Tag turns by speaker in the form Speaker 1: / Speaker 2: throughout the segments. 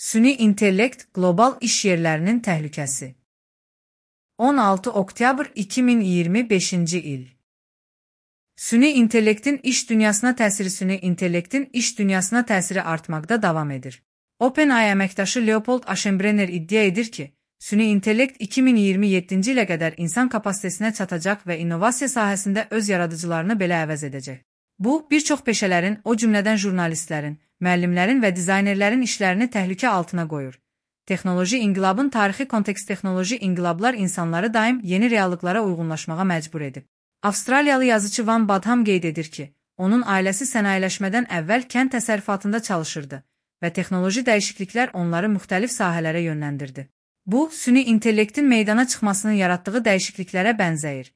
Speaker 1: Süni intellekt qlobal iş yerlərinin təhlükəsi. 16 oktyabr 2025-ci il. Süni intellektin iş dünyasına təsiri. Süni intellektin iş dünyasına təsiri artmaqda davam edir. OpenAI əməkdaşı Leopold Aschenbrenner iddia edir ki, süni intellekt 2027-ci ilə qədər insan kapasitesinə çatacaq və innovasiya sahəsində öz yaradıcılarını belə əvəz edəcək. Bu, bir çox peşələrin, o cümlədən jurnalistlərin, müəllimlərin və dizaynerlərin işlərini təhlükə altına qoyur. Texnoloji inqilabın tarixi kontekst. Texnoloji inqilablar insanları daim yeni reallıqlara uyğunlaşmağa məcbur edib. Avstraliyalı yazıcı Van Badham qeyd edir ki, onun ailəsi sənayeləşmədən əvvəl kənd təsərrüfatında çalışırdı və texnoloji dəyişikliklər onları müxtəlif sahələrə yönləndirdi. Bu, süni intellektin meydana çıxmasının yaratdığı dəyişikliklərə bənzəyir.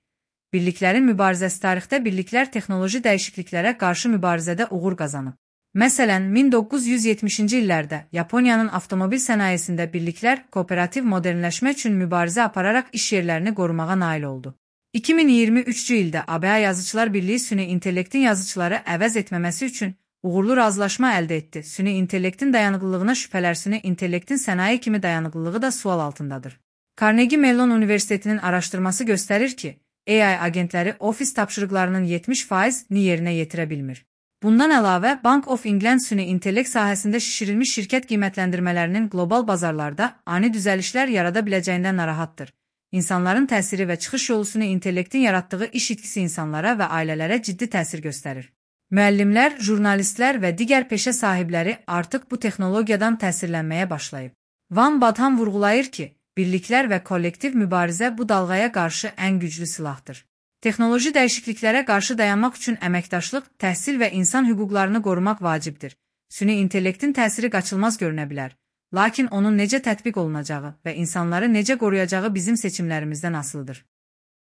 Speaker 1: Birliklərin mübarizəsi. Tarixdə birliklər texnoloji dəyişikliklərə qarşı mübarizədə uğur qazanıb. Məsələn, 1970-ci illərdə Yaponiyanın avtomobil sənayesində birliklər kooperativ modernləşmə üçün mübarizə apararaq iş yerlərini qorumağa nail oldu. 2023-cü ildə ABA Yazıçılar Birliyi süni intellektin yazıçıları əvəz etməməsi üçün uğurlu razılaşma əldə etdi. Süni intellektin dayanıqlılığına şübhələr. Süni intellektin sənaye kimi dayanıqlılığı da sual altındadır. Carnegie Mellon Universitetinin araşdırması göstərir ki, AI agentləri ofis tapşırıqlarının 70%-ni yerinə yetirə bilmir. Bundan əlavə, Bank of England süni intellekt sahəsində şişirilmiş şirkət qiymətləndirmələrinin qlobal bazarlarda ani düzəlişlər yarada biləcəyindən narahatdır. İnsanların təsiri və çıxış yolu. Süni intellektin yaratdığı iş itkisi insanlara və ailələrə ciddi təsir göstərir. Müəllimlər, jurnalistlər və digər peşə sahibləri artıq bu texnologiyadan təsirlənməyə başlayıb. Van Badham vurğulayır ki, birliklər və kollektiv mübarizə bu dalğaya qarşı ən güclü silahdır. Texnoloji dəyişikliklərə qarşı dayanmaq üçün əməkdaşlıq, təhsil və insan hüquqlarını qorumaq vacibdir. Süni intellektin təsiri qaçılmaz görünə bilər, lakin onun necə tətbiq olunacağı və insanları necə qoruyacağı bizim seçimlərimizdən asılıdır.